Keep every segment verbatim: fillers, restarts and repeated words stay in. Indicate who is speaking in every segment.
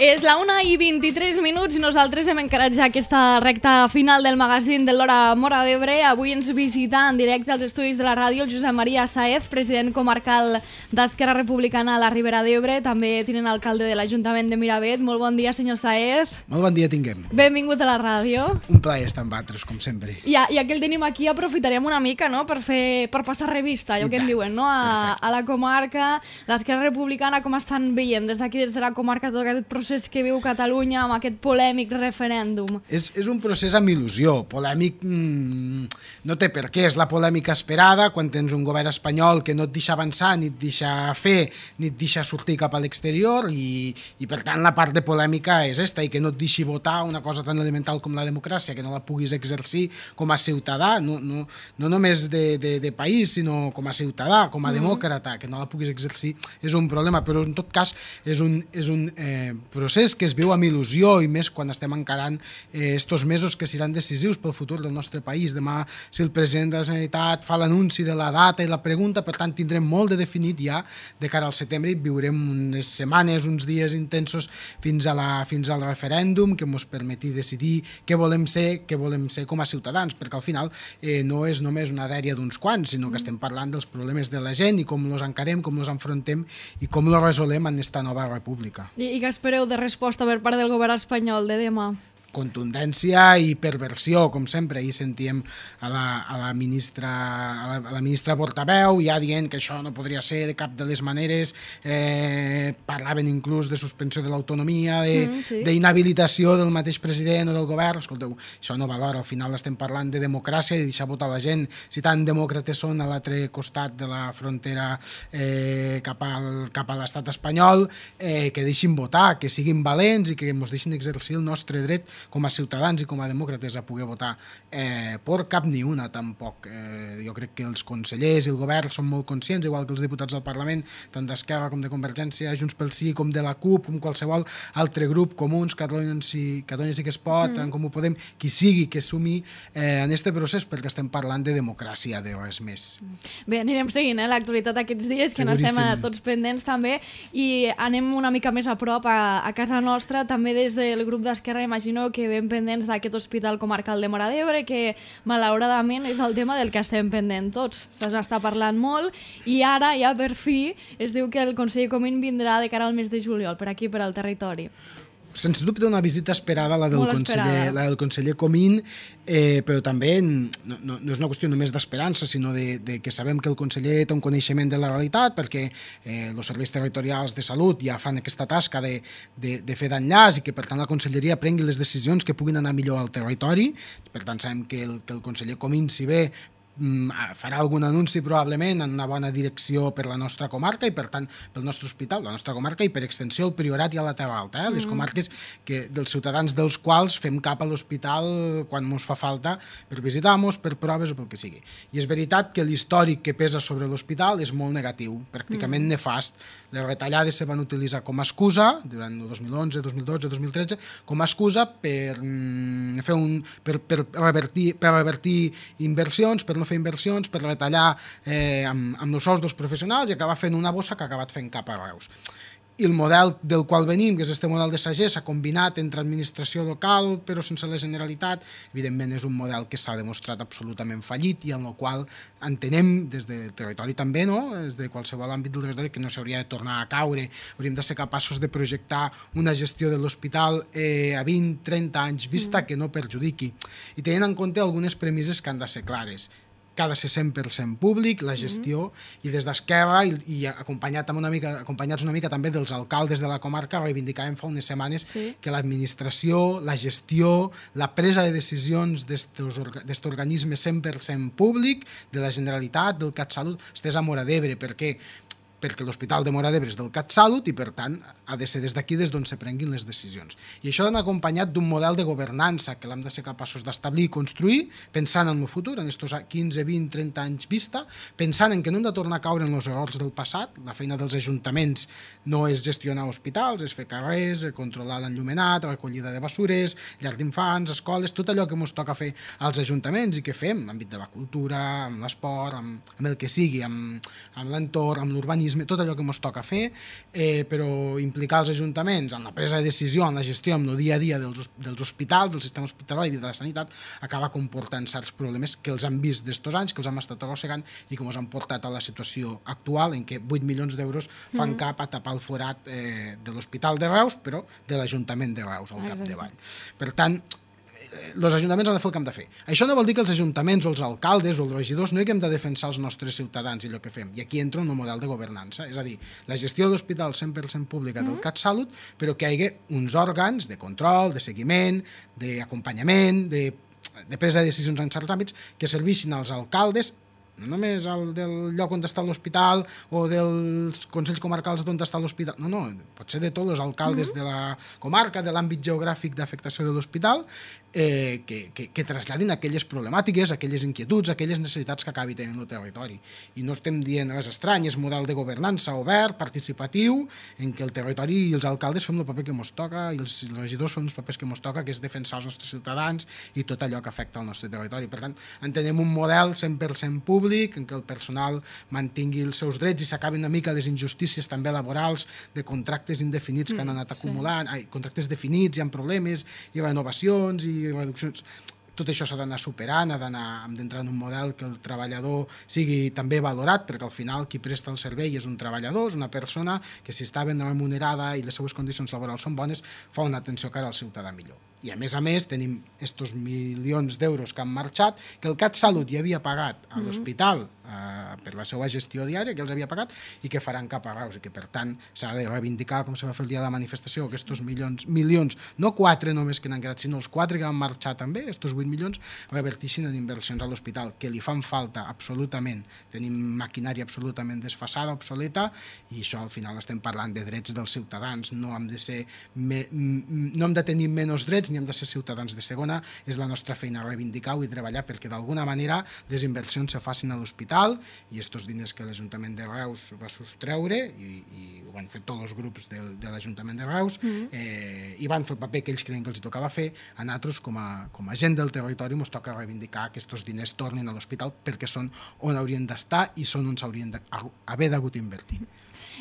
Speaker 1: És la una i vint-i-tres minuts i nosaltres hem encarat ja aquesta recta final del magazín de l'Hora Móra d'Ebre. Avui ens visita en directe als estudis de la ràdio el Josep Maria Sáez, president comarcal d'Esquerra Republicana a la Ribera d'Ebre, també tinent alcalde de l'Ajuntament de Miravet. Molt bon dia, senyor Sáez.
Speaker 2: Molt bon dia tinguem.
Speaker 1: Benvingut a la ràdio.
Speaker 2: Un plaer estar amb altres, com sempre.
Speaker 1: Ja, ja que el tenim aquí, aprofitarem una mica, no?, per, fer, per passar revista, allò I que tant. En diuen, no?, a, a la comarca, l'Esquerra Republicana, com estan veient des d'aquí, des de la comarca, tot aquest procés que viu Catalunya amb aquest polèmic referèndum?
Speaker 2: És, és un procés amb il·lusió. Polèmic mmm, no té per què. És la polèmica esperada quan tens un govern espanyol que no et deixa avançar, ni et deixa fer, ni et deixa sortir cap a l'exterior i, i per tant la part de polèmica és esta, i que no et deixi votar una cosa tan elemental com la democràcia, que no la puguis exercir com a ciutadà, no, no, no només de, de, de país, sinó com a ciutadà, com a demòcrata, que no la puguis exercir és un problema, però en tot cas és un, és un eh, procés que es viu amb il·lusió, i més quan estem encarant eh, estos mesos que seran decisius pel futur del nostre país. Demà, si el president de la Generalitat fa l'anunci de la data i la pregunta, per tant tindrem molt de definit ja de cara al setembre, i viurem unes setmanes, uns dies intensos fins, a la, fins al referèndum que ens permeti decidir què volem ser, què volem ser com a ciutadans, perquè al final eh, no és només una dèria d'uns quants, sinó que estem parlant dels problemes de la gent i com els encarem, com els enfrontem i com els resolem en esta nova república.
Speaker 1: I, i què espereu de resposta per part del govern espanyol de demà?
Speaker 2: Contundència i perversió, com sempre. Ahir sentíem a la, a la ministra a la, a la ministra portaveu ja dient que això no podria ser de cap de les maneres, eh, parlaven inclús de suspensió de l'autonomia, d'inhabilitació mm, sí. del mateix president o del govern. Escolteu, això no valora, al final estem parlant de democràcia i deixar votar la gent. Si tan demòcrates són a l'altre costat de la frontera eh, cap, al, cap a l'estat espanyol, eh, que deixin votar, que siguin valents i que ens deixin exercir el nostre dret com a ciutadans i com a demòcrates a poder votar. Eh, por cap ni una, tampoc. Eh, jo crec que els consellers i el govern són molt conscients, igual que els diputats del Parlament, tant d'Esquerra com de Convergència, Junts pel Sí, com de la CUP, com qualsevol altre grup, Comuns, Catalunya sí, Catalunya sí que es pot, mm. com ho podem, qui sigui que sumi eh, en aquest procés, perquè estem parlant de democràcia, de res més.
Speaker 1: Bé, anirem seguint eh, l'actualitat aquests dies, que n'estem tots pendents també, i anem una mica més a prop a, a casa nostra, també des del grup d'Esquerra, imagino que ben pendents d'aquest hospital comarcal de Móra d'Ebre, que malauradament és el tema del que estem pendents tots. S'està parlant molt i ara ja per fi es diu que el conseller Comín vindrà de cara al mes de juliol per aquí, per al territori.
Speaker 2: Sens dubte una visita esperada, la del, conseller, la del conseller Comín, eh, però també no, no, no és una qüestió només d'esperança, sinó de, de que sabem que el conseller té un coneixement de la realitat, perquè eh, els serveis territorials de salut ja fan aquesta tasca de, de, de fer d'enllaç i que per tant la conselleria prengui les decisions que puguin anar millor al territori. Per tant sabem que el, que el conseller Comín, si bé farà algun anunci probablement en una bona direcció per la nostra comarca i per tant pel nostre hospital, la nostra comarca i per extensió el Priorat i a la Terra Alta, eh? les comarques que, dels ciutadans dels quals fem cap a l'hospital quan ens fa falta per visitar-nos, per proves o pel que sigui. I és veritat que l'històric que pesa sobre l'hospital és molt negatiu, pràcticament mm. nefast. Les retallades se van utilitzar com a excusa durant el dos mil onze, dos mil dotze, dos mil tretze, com a excusa per mm, fer un per, per, revertir, per revertir inversions, per no fer inversions, per retallar eh, amb, amb els sous dels professionals i acabar fent una bossa que ha acabat fent cap a Reus. I el model del qual venim, que és este model de sagès, s'ha combinat entre administració local però sense la Generalitat, evidentment és un model que s'ha demostrat absolutament fallit i en el qual entenem des del territori també, no? Des de qualsevol àmbit del territori, que no s'hauria de tornar a caure. Hauríem de ser capaços de projectar una gestió de l'hospital eh, a vint a trenta anys vista que no perjudiqui. I tenint en compte algunes premisses que han de ser clares. Que ha de ser cent per cent públic, la gestió, mm-hmm. i des d'Esquerra, i, i acompanyat una mica, acompanyats una mica també dels alcaldes de la comarca, reivindicàvem fa unes setmanes sí. que l'administració, la gestió, la presa de decisions d'aquest organisme cent per cent públic, de la Generalitat, del CatSalut, estés a Móra d'Ebre, perquè perquè l'Hospital de Móra d'Ebre és del CatSalut i, per tant, ha de ser des d'aquí des d'on se prenguin les decisions. I això ha d'anar acompanyat d'un model de governança que l'hem de ser capaços d'establir i construir, pensant en el futur, en aquests quinze, vint, trenta anys vista, pensant en que no hem de tornar a caure en els errors del passat. La feina dels ajuntaments no és gestionar hospitals, és fer carrers, controlar l'enllumenat, recollida de bessures, llars d'infants, escoles, tot allò que ens toca fer als ajuntaments i que fem en l'àmbit de la cultura, amb l'esport, amb, amb el que sigui, amb, amb l'entorn, amb l'urbanisme, franquisme, tot allò que ens toca fer, eh, però implicar els ajuntaments en la presa de decisió, en la gestió, en el dia a dia dels, dels hospitals, del sistema hospitalari i de la sanitat, acaba comportant certs problemes que els han vist d'estos anys, que els hem estat arrossegant i que ens han portat a la situació actual en què vuit milions d'euros fan mm. cap a tapar el forat eh, de l'Hospital de Reus, però de l'Ajuntament de Reus, al capdavall. Per tant, els ajuntaments han de fer el que hem de fer. Això no vol dir que els ajuntaments o els alcaldes o els regidors no haguem de defensar els nostres ciutadans i allò que fem. I aquí entra un model de governança, és a dir, la gestió de l'hospital cent per cent pública del CatSalut, però que hi hagi uns òrgans de control, de seguiment, d'acompanyament, de, de presa de decisions en certs àmbits que serveixin als alcaldes, no només el del lloc on està l'hospital o dels consells comarcals d'on està l'hospital, no, no, pot ser de tots els alcaldes de la comarca, de l'àmbit geogràfic d'afectació de l'hospital, eh, que, que, que traslladin aquelles problemàtiques, aquelles inquietuds, aquelles necessitats que acabi tenint el territori. I no estem dient res estrany, és model de governança obert, participatiu, en què el territori i els alcaldes fem el paper que ens toca i els, els regidors fem els papers que ens toca, que és defensar els nostres ciutadans i tot allò que afecta el nostre territori. Per tant, entenem un model cent per cent públic en què el personal mantingui els seus drets i s'acabin una mica les injustícies també laborals de contractes indefinits que han anat acumulant, ai, contractes definits, hi ha problemes, hi ha renovacions i reduccions. Tot això s'ha d'anar superant, ha d'anar, hem d'entrar en un model que el treballador sigui també valorat, perquè al final qui presta el servei és un treballador, és una persona que si està ben remunerada i les seues condicions laborals són bones, fa una atenció cara al ciutadà millor. I a més a més tenim estos milions d'euros que han marxat, que el CatSalut ja havia pagat a l'hospital eh, per la seva gestió diària, que els havia pagat, i que faran cap a Reus, i que per tant s'ha de reivindicar, com se va fer el dia de la manifestació, que estos milions, milions, no quatre només que n'han quedat, sinó els quatre que han marxat també, estos vuit milions, revertixin en inversions a l'hospital, que li fan falta absolutament. Tenim maquinària absolutament desfasada, obsoleta, i això al final estem parlant de drets dels ciutadans, no hem de ser, me, no hem de tenir menys drets, ni hem de ser ciutadans de segona, és la nostra feina reivindicar-ho i treballar perquè d'alguna manera les inversions se facin a l'hospital i estos diners que l'Ajuntament de Reus va sostreure i, i ho van fer tots els grups de, de l'Ajuntament de Reus mm-hmm. eh, i van fer el paper que ells creien que els tocava fer, a nosaltres com a, com a gent del territori ens toca reivindicar que aquests diners tornin a l'hospital perquè són on haurien d'estar i són on s'haurien d'haver d'hagut invertir.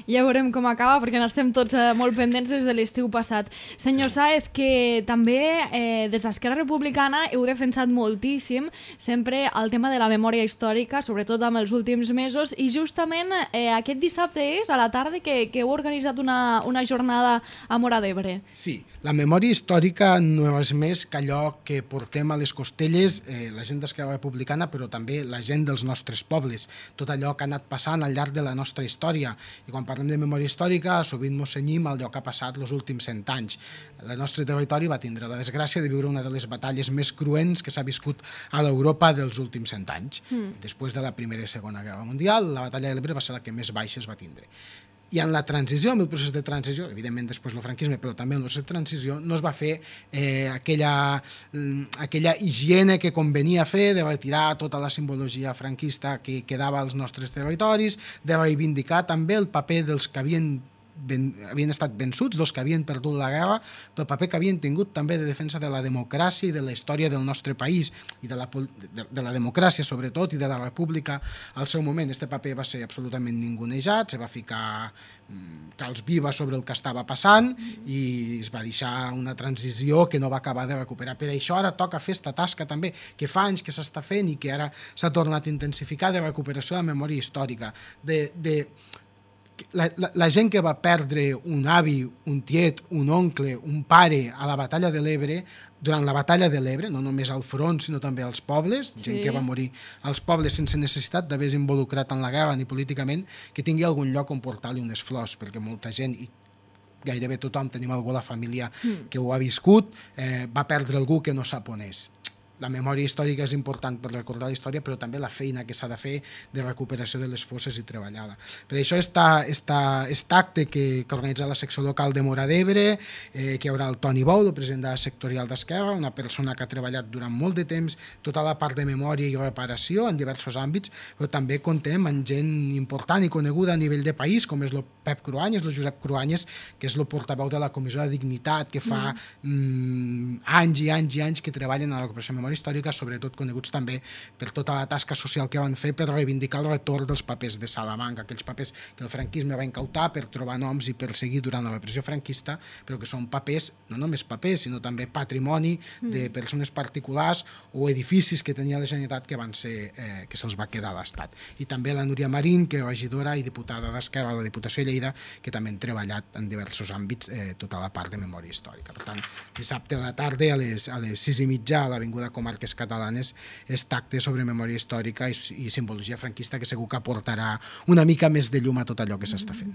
Speaker 1: Ja veurem com acaba, perquè n'estem tots eh, molt pendents des de l'estiu passat. Senyor sí. Sáez, que també eh, des d'Esquerra Republicana heu defensat moltíssim sempre el tema de la memòria històrica, sobretot amb els últims mesos, i justament eh, aquest dissabte és a la tarda que, que heu organitzat una, una jornada a Móra d'Ebre.
Speaker 2: Sí, la memòria històrica no és més que allò que portem a les costelles eh, la gent d'Esquerra Republicana, però també la gent dels nostres pobles, tot allò que ha anat passant al llarg de la nostra història. I quan parlem de memòria històrica, sovint ens cenyim al lloc que ha passat els últims cent anys. El nostre territori va tindre la desgràcia de viure una de les batalles més cruents que s'ha viscut a l'Europa dels últims cent anys. Mm. Després de la Primera i Segona Guerra Mundial, la batalla de l'Ebre va ser la que més baixes va tindre. I en la transició, en el procés de transició, evidentment després del franquisme, però també en el procés de transició, no es va fer eh, aquella, aquella higiene que convenia fer de retirar tota la simbologia franquista que quedava als nostres territoris, de reivindicar també el paper dels que havien Ben, havien estat vençuts, dels que havien perdut la guerra, pel paper que havien tingut també de defensa de la democràcia i de la història del nostre país i de la, de, de la democràcia sobretot i de la república al seu moment. Este paper va ser absolutament ningunejat, se va ficar mm, calç viva sobre el que estava passant i es va deixar una transició que no va acabar de recuperar. Per això ara toca fer esta tasca també, que fa anys que s'està fent i que ara s'ha tornat a intensificar, de recuperació de la memòria històrica, de... de La, la, la gent que va perdre un avi, un tiet, un oncle, un pare a la batalla de l'Ebre, durant la batalla de l'Ebre, no només al front, sinó també als pobles, sí. Gent que va morir als pobles sense necessitat d'haver-se involucrat en la guerra ni políticament, que tingui algun lloc on portar-li unes flors, perquè molta gent, i gairebé tothom tenim algú a la família que ho ha viscut, eh, va perdre algú que no sap on és. La memòria històrica és important per recordar la història, però també la feina que s'ha de fer de recuperació de les fosses i treballada. Per això està aquest acte que, que organitza la secció local de Móra d'Ebre, eh, que hi haurà el Toni Bou, el president de la sectorial d'Esquerra, una persona que ha treballat durant molt de temps tota la part de memòria i reparació en diversos àmbits, però també contem amb gent important i coneguda a nivell de país, com és el Pep Cruanyes, el Josep Cruanyes, que és el portaveu de la Comissió de Dignitat, que fa mm. Mm, anys i anys i anys que treballen a la recuperació de memòria, memòria històrica, sobretot coneguts també per tota la tasca social que van fer per reivindicar el retorn dels papers de Salamanca, aquells papers que el franquisme va incautar per trobar noms i perseguir durant la repressió franquista, però que són papers, no només papers, sinó també patrimoni de persones particulars o edificis que tenia la Generalitat que van ser, eh, que se'ls va quedar a l'Estat. I també la Núria Marín, que és regidora i diputada d'Esquerra a la Diputació de Lleida, que també han treballat en diversos àmbits eh, tota la part de memòria històrica. Per tant, dissabte a la tarda a les, a les sis i mitja a l'Avinguda Comarques Catalanes és tacte sobre memòria històrica i, i simbologia franquista que segur que aportarà una mica més de llum a tot allò que s'està fent.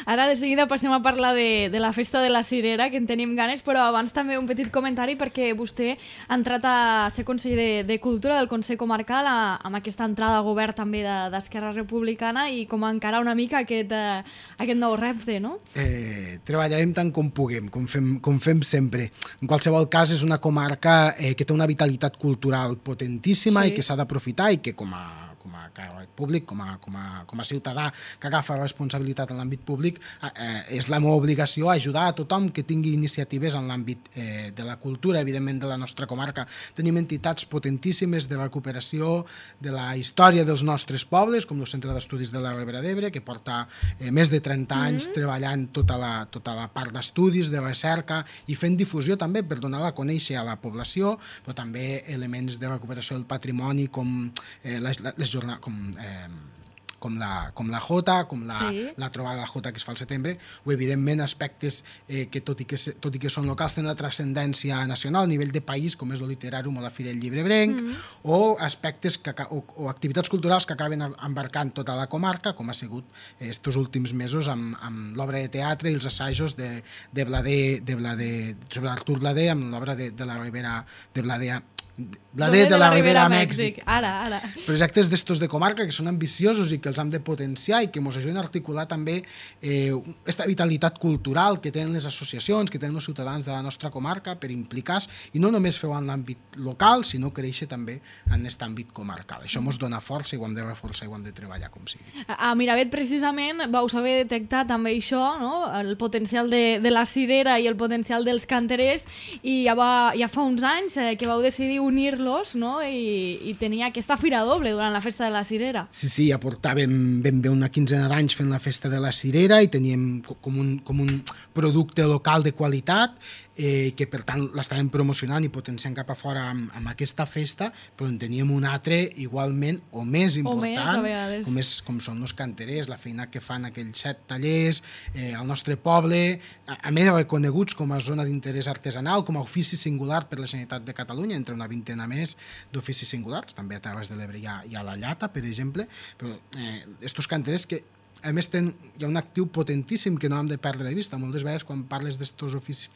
Speaker 1: Ara de seguida passem a parlar de, de la festa de la Cirera, que en tenim ganes, però abans també un petit comentari perquè vostè ha entrat a ser conseller de, de Cultura del Consell Comarcal a, amb aquesta entrada al govern també d'Esquerra de, Republicana i com a encarar una mica aquest, eh, aquest nou repte, no?
Speaker 2: Eh, treballarem tant com puguem, com fem, com fem sempre. En qualsevol cas, és una comarca eh, que té una vitalitat cultural potentíssima sí. i que s'ha d'aprofitar i que com a com a càrrec públic, com a, com, a, com a ciutadà que agafa responsabilitat en l'àmbit públic, eh, és la meva obligació ajudar a tothom que tingui iniciatives en l'àmbit eh, de la cultura, evidentment de la nostra comarca. Tenim entitats potentíssimes de recuperació de la història dels nostres pobles, com el Centre d'Estudis de la Ribera d'Ebre, que porta eh, més de trenta anys mm-hmm. treballant tota la, tota la part d'estudis, de recerca i fent difusió també per donar-la a conèixer a la població, però també elements de recuperació del patrimoni com eh, les, les jornades, com, eh, com, la, com la Jota, com la, sí. la trobada de la Jota que es fa al setembre, o evidentment aspectes eh, que, tot i que tot i que són locals, tenen una transcendència nacional a nivell de país, com és el Literàrum o la Fira del Llibrebrenc, mm. o aspectes que, o, o activitats culturals que acaben embarcant tota la comarca, com ha sigut estos últims mesos amb, amb l'obra de teatre i els assajos de, de Blader, de Blader, sobre Artur Blader, amb l'obra de, de la Ribera de Blader Blader de, de la Ribera a Mèxic.
Speaker 1: Ara, ara.
Speaker 2: Projectes d'estos de comarca que són ambiciosos i que els hem de potenciar i que ens ajuden a articular també aquesta eh, vitalitat cultural que tenen les associacions, que tenen els ciutadans de la nostra comarca per implicar-se i no només fer-ho en l'àmbit local, sinó créixer també en aquest àmbit comarcal. Això ens dona força i ho hem de reforçar i ho hem de treballar com sigui.
Speaker 1: A Miravet, precisament, vau saber detectar també això, no? El potencial de, de la cirera i el potencial dels canterers i ja, va, ja fa uns anys eh, que vau decidir unir-los, no? I, i tenia aquesta fira doble durant la festa de la cirera.
Speaker 2: Sí, sí, ja portàvem ben bé una quinzena d'anys fent la festa de la cirera i teníem com un, com un producte local de qualitat eh, que per tant l'estàvem promocionant i potenciant cap a fora amb, amb aquesta festa, però en teníem un altre igualment o més important,
Speaker 1: o més,
Speaker 2: com, és, com són els canterers, la feina que fan aquells set tallers eh, al nostre poble, a, a més reconeguts com a zona d'interès artesanal, com a ofici singular per la Generalitat de Catalunya, entre una vintena més d'oficis singulars, també a Terres de l'Ebre hi, hi ha la Llata, per exemple, però eh, estos canterers que a més ten, hi ha un actiu potentíssim que no hem de perdre de vista. Moltes vegades quan parles d'estos oficis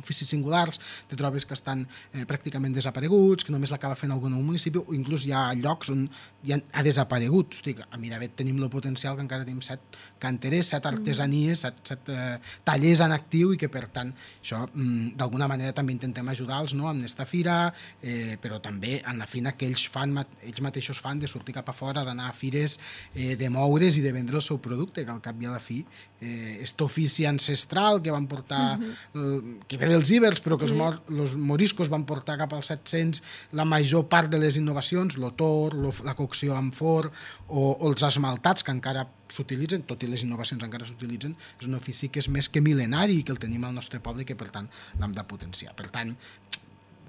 Speaker 2: oficis singulars, te trobes que estan eh, pràcticament desapareguts, que només l'acaba fent algun municipi, o inclús hi ha llocs on ja ha desaparegut. Hosti, a Miravet tenim el potencial que encara tenim set canterers, set artesanies, set, set eh, tallers en actiu i que per tant això mm, d'alguna manera també intentem ajudar-los, no?, amb aquesta fira, eh, però també en la feina que ells fan, ells mateixos fan de sortir cap a fora, d'anar a fires, eh, de moure's i de vendre el seu producte, que al cap i a la fi eh, aquest ofici ancestral que van portar, uh-huh. eh, que ve dels ibers, però que sí. els, mor, els moriscos van portar cap als set-cents la major part de les innovacions, l'otor, la cocció amb forn o, o els esmaltats que encara s'utilitzen, tot i les innovacions encara s'utilitzen, és un ofici que és més que mil·lenari i que el tenim al nostre poble i que per tant l'hem de potenciar. Per tant,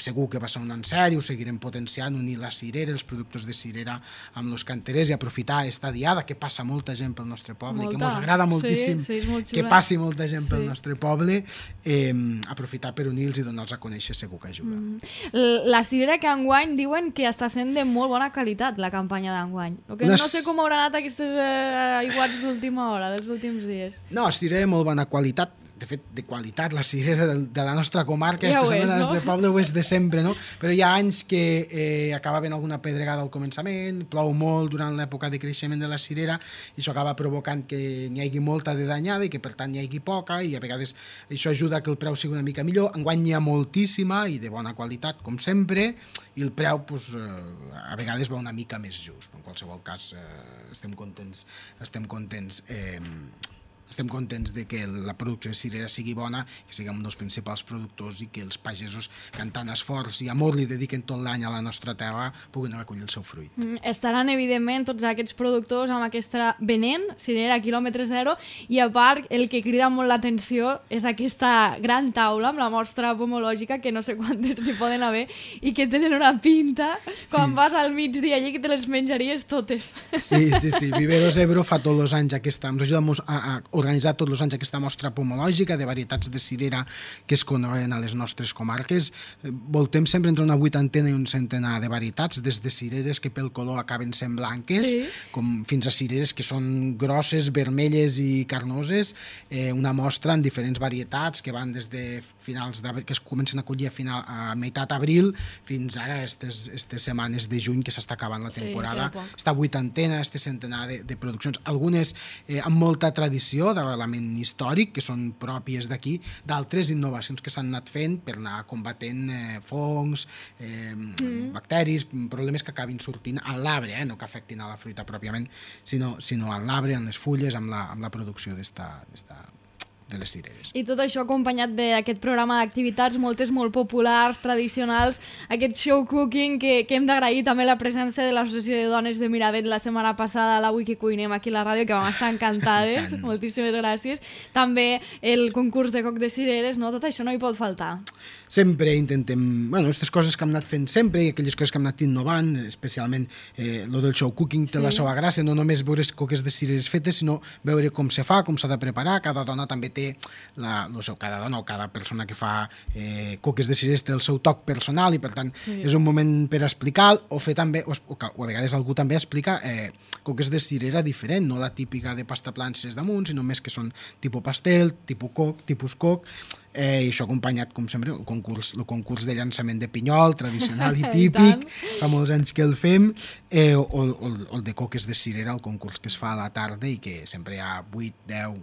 Speaker 2: segur que va ser un encert i ho seguirem potenciant, unir la cirera, els productes de cirera amb els canterers i aprofitar aquesta diada que passa molta gent pel nostre poble, molta. Que ens agrada moltíssim
Speaker 1: sí, sí,
Speaker 2: que passi molta gent pel
Speaker 1: sí.
Speaker 2: nostre poble, eh, aprofitar per unir-los i donar-los a conèixer segur que ajuda.
Speaker 1: Mm. La cirera que enguany diuen que està sent de molt bona qualitat, la campanya d'enguany. Que no sé com haurà anat aquestes eh, aiguats d'última hora, dels últims dies.
Speaker 2: No, cirera de molt bona qualitat, de fet, de qualitat, la cirera de, de la nostra comarca, ja especialment del nostre no? poble, ho és de sempre, no? Però hi ha anys que eh, acaba havent alguna pedregada al començament, plou molt durant l'època de creixement de la cirera, i això acaba provocant que n'hi hagi molta de danyada i que per tant n'hi hagi poca, i a vegades això ajuda que el preu sigui una mica millor. Enguany n'hi ha moltíssima i de bona qualitat, com sempre, i el preu pues, eh, a vegades va una mica més just. En qualsevol cas, eh, estem contents, estem contents eh, estem contents de que la producció de cirera sigui bona, que siguem un dels principals productors i que els pagesos que amb tant esforç i amor li dediquen tot l'any a la nostra terra puguin recollir el seu fruit.
Speaker 1: Mm, estaran, evidentment, tots aquests productors amb aquesta venent, cirera quilòmetre zero, i a part, el que crida molt l'atenció és aquesta gran taula amb la mostra pomològica, que no sé quantes n'hi poden haver, i que tenen una pinta, quan sí. vas al migdia allí, que te les menjaries totes.
Speaker 2: Sí, sí, sí. Viveros Ebro fa tots els anys aquesta, ens ajuda a, a organitzar tots els anys aquesta mostra pomològica de varietats de cirera que es coneixen a les nostres comarques. Voltem sempre entre una vuitantena i un centenar de varietats, des de cireres que pel color acaben sent blanques, sí. com fins a cireres que són grosses, vermelles i carnoses, eh, una mostra en diferents varietats que van des de finals d'abril, que es comencen a collir a, final, a meitat abril, fins ara aquestes setmanes de juny que s'està acabant la temporada. Sí, esta vuitantena, este centenar de, de produccions, algunes eh, amb molta tradició d'element històric, que són pròpies d'aquí, d'altres innovacions que s'han anat fent per anar combatent eh, fongs, eh, mm. bacteris, problemes que acabin sortint a l'arbre, eh, no que afectin a la fruita pròpiament, sinó, sinó a l'arbre, en les fulles, amb la, amb la producció d'esta de les cireres.
Speaker 1: I tot això acompanyat d'aquest programa d'activitats, moltes molt populars, tradicionals, aquest show cooking que, que hem d'agrair també la presència de l'Associació de Dones de Miravet la setmana passada a l'Avui que cuinem aquí a la ràdio, que vam estar encantades, moltíssimes gràcies. També el concurs de coc de cireres, no? Tot això no hi pot faltar.
Speaker 2: Sempre intentem, bueno, aquestes coses que hem anat fent sempre i aquelles coses que hem anat innovant, especialment eh, lo del show cooking té sí. la seva gràcia, no només veure coques de cireres fetes, sinó veure com se fa, com s'ha de preparar, cada dona també té La, no sé, cada dona o cada persona que fa eh, coques de cireres té el seu toc personal i per tant sí. és un moment per explicar o fer també, o, o a vegades algú també explica eh, coques de cirera diferent, no la típica de pasta plances damunt, sinó més que són tipus pastel, tipus coc, tipus coc, eh, i això acompanyat, com sempre, el concurs, el concurs de llançament de pinyol, tradicional i típic, fa molts anys que el fem, eh, o, o, o el de coques de cirera, el concurs que es fa a la tarda i que sempre hi ha vuit, deu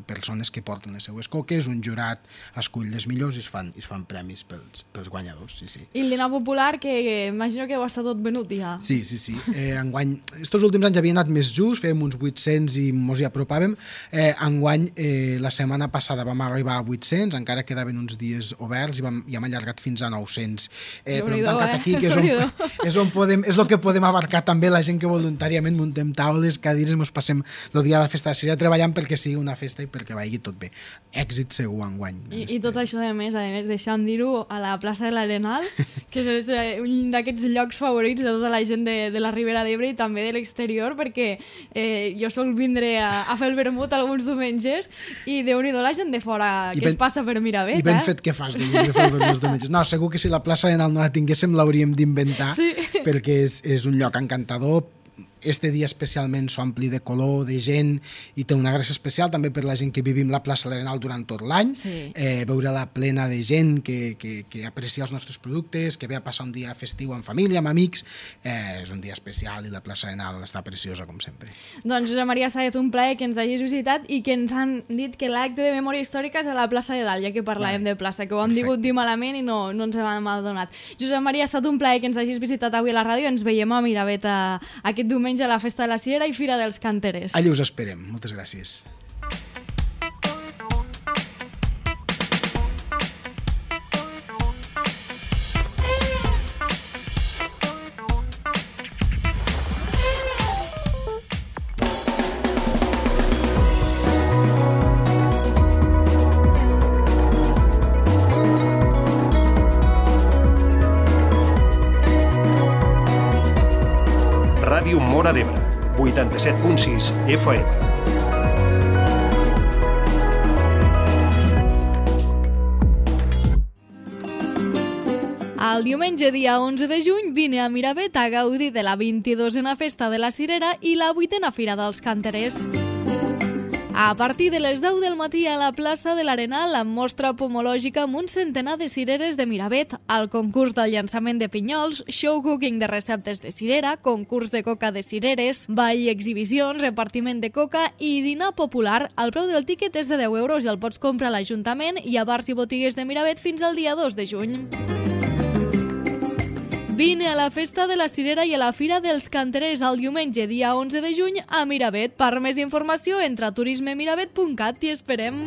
Speaker 2: persones que porten les seues coques, un jurat escull les millors i es fan, es fan premis pels, pels guanyadors, sí, sí.
Speaker 1: I el dinar popular, que imagino que ho està tot venut ja.
Speaker 2: Sí, sí, sí. Eh, enguany, estos últims anys havia anat més just, fèiem uns vuit-cents i mos hi apropàvem. Eh, enguany, eh, la setmana passada vam arribar a vuit-cents, encara quedaven uns dies oberts i, vam, i hem allargat fins a nou-cents. Eh, però hem tancat eh? aquí, que és on, és on podem, és el que podem abarcar també la gent que voluntàriament muntem taules, cadires, ens passem el dia de la festa de Cirera treballant perquè sigui una festa i perquè vagi tot bé. Èxit segur enguany.
Speaker 1: I, i tot això, a més, a més, deixant dir-ho a la plaça de l'Arenal, que és un d'aquests llocs favorits de tota la gent de, de la Ribera d'Ebre i també de l'exterior, perquè eh, jo sol vindre a, a fer el vermut alguns diumenges i déu-n'hi-do la gent de fora que ben, es passa per Miravet.
Speaker 2: I ben
Speaker 1: eh?
Speaker 2: fet que fas de vindre a fer el vermut diumenges. No, segur que si la plaça d'Arenal no la tinguéssim l'hauríem d'inventar, sí. perquè és, és un lloc encantador. Este dia especialment s'ompli de color, de gent, i té una gràcia especial també per la gent que vivim la plaça de l'Arenal durant tot l'any, sí. eh, veure-la plena de gent que, que, que aprecia els nostres productes, que ve a passar un dia festiu amb família, amb amics, eh, és un dia especial i la plaça de l'Arenal està preciosa com sempre.
Speaker 1: Doncs Josep Maria Sáez, un plaer que ens hagis visitat i que ens han dit que l'acte de memòria històrica és a la plaça de Dalt, ja que parlàvem vale. de plaça, que ho hem digut dir malament i no, no ens hem adonat. Josep Maria, ha estat un plaer que ens hagis visitat avui a la ràdio, ens veiem a Miravet a, aquest diumenge a la Festa de la Cirera i Fira dels Canterers.
Speaker 2: Allà us esperem. Moltes gràcies.
Speaker 3: Ràdio Móra d'Ebre, vuitanta-set punt sis F M.
Speaker 1: El diumenge dia onze de juny vine a Miravet a gaudir de la vint-i-dosena Festa de la Cirera i la vuitena Fira dels Canterers. A partir de les deu del matí a la plaça de l'Arenal amb mostra pomològica amb un centenar de cireres de Miravet, el concurs del llançament de pinyols, show cooking de receptes de cirera, concurs de coca de cireres, ball i exhibicions, repartiment de coca i dinar popular. El preu del tíquet és de deu euros i el pots comprar a l'Ajuntament i a bars i botigues de Miravet fins al dia dos de juny. Vine a la Festa de la Cirera i a la Fira dels Canterers el diumenge, dia onze de juny, a Miravet. Per més informació, entra a turisme miravet punt cat i esperem.